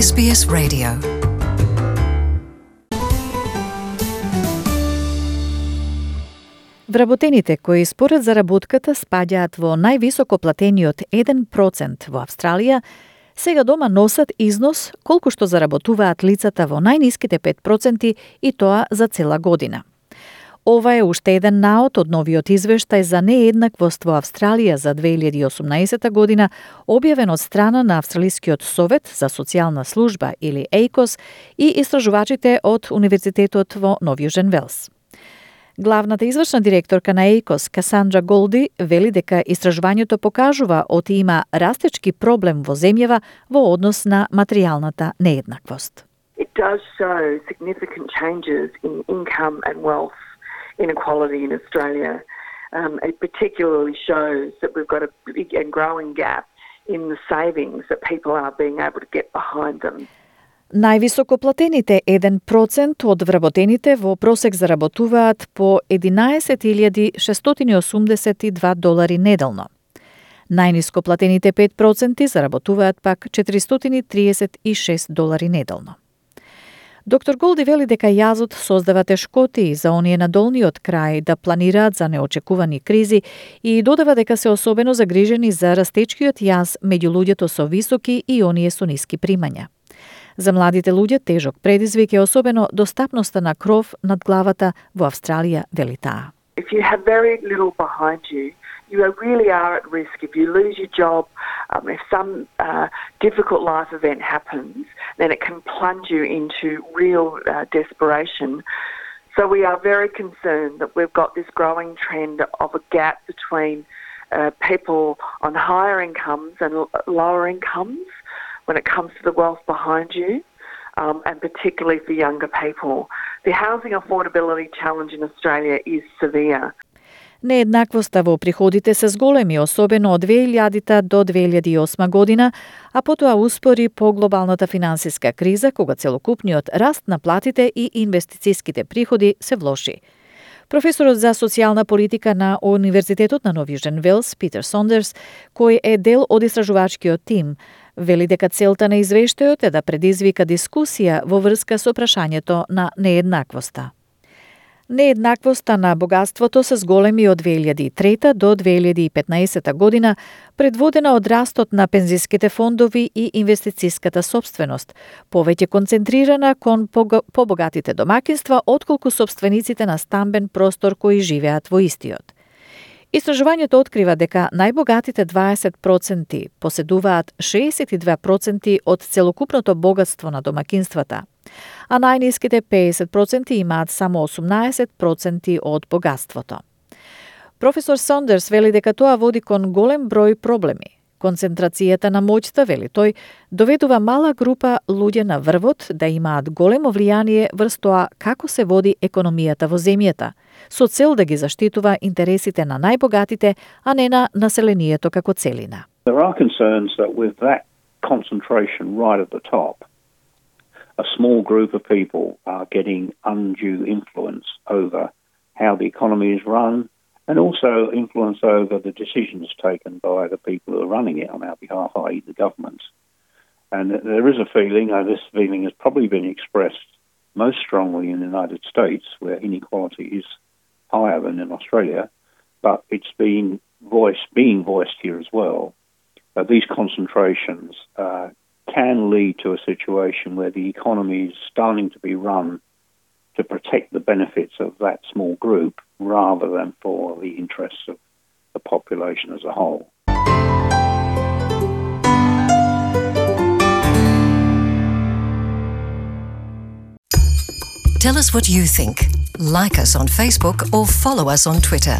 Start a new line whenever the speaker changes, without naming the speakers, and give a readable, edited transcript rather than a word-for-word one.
SBS Radio.
Вработените кои според заработката спаѓаат во највисоко платениот 1% во Австралија, сега дома носат износ колку што заработуваат лицата во најниските 5% и тоа за цела година. Ова е уште еден наод од новиот извештај за нееднаквост во Австралија за 2018 година, објавен од страна на Австралискиот совет за социјална служба или ACOS и истражувачите од Универзитетот во Нов Јужен Велс. Главната извршна директорка на ACOS, Касандра Голди, вели дека истражувањето покажува оти има растечки проблем во земјава во однос на материјалната нееднаквост.
It does show significant changes in income and wealth inequality in Australia. It particularly shows that we've got a big and growing gap in the savings that people are being able to get behind them.
Највисоко платените 1% од вработените во просек заработуваат по $11,682 неделно. Најниско платените 5% заработуваат пак $436 неделно. Доктор Голди вели дека јазот создава тешкоти за оние на долниот крај да планираат за неочекувани кризи и додава дека се особено загрижени за растечкиот јаз меѓу луѓето со високи и оние со ниски примања. За младите луѓе тежок предизвик е особено достапноста на кров над главата во Австралија, вели таа.
If you have very little behind you, you really are at risk. If you lose your job, if some difficult life event happens, then it can plunge you into real desperation. So we are very concerned that we've got this growing trend of a gap between people on higher incomes and lower incomes when it comes to the wealth behind you, and particularly for younger people. The housing affordability challenge in Australia is severe.
Нееднаквоста во приходите се зголеми, особено од 2000 до 2008 година, а потоа успори по глобалната финансиска криза, кога целокупниот раст на платите и инвестицијските приходи се влоши. Професорот за социјална политика на Универзитетот на Нов Јужен Велс, Питер Сондерс, кој е дел од истражувачкиот тим, вели дека целта на извештајот е да предизвика дискусија во врска со прашањето на нееднаквоста. Нееднаквоста на богатството се зголеми од 2003 до 2015 година, предводена од растот на пензиските фондови и инвестицијската сопственост, повеќе концентрирана кон побогатите домакинства отколку сопствениците на стамбен простор кои живеат во истиот. Истражувањето открива дека најбогатите 20% поседуваат 62% од целокупното богатство на домакинствата, а најниските 50% имаат само 18% од богатството. Професор Сондерс вели дека тоа води кон голем број проблеми. Концентрацијата на моќта, вели тој, доведува мала група луѓе на врвот да имаат големо влијание врз тоа како се води економијата во земјата, со цел да ги заштитува интересите на најбогатите, а не на населението како целина.
There are concerns that with that concentration right at the top, a small group of people are getting undue influence over how the economy is run, and also influence over the decisions taken by the people who are running it on our behalf, i.e. the government. And there is a feeling, this feeling has probably been expressed most strongly in the United States, where inequality is higher than in Australia, but it's being voiced here as well. These concentrations can lead to a situation where the economy is starting to be run to protect the benefits of that small group rather than for the interests of the population as a whole.
Tell us what you think. Like us on Facebook or follow us on Twitter.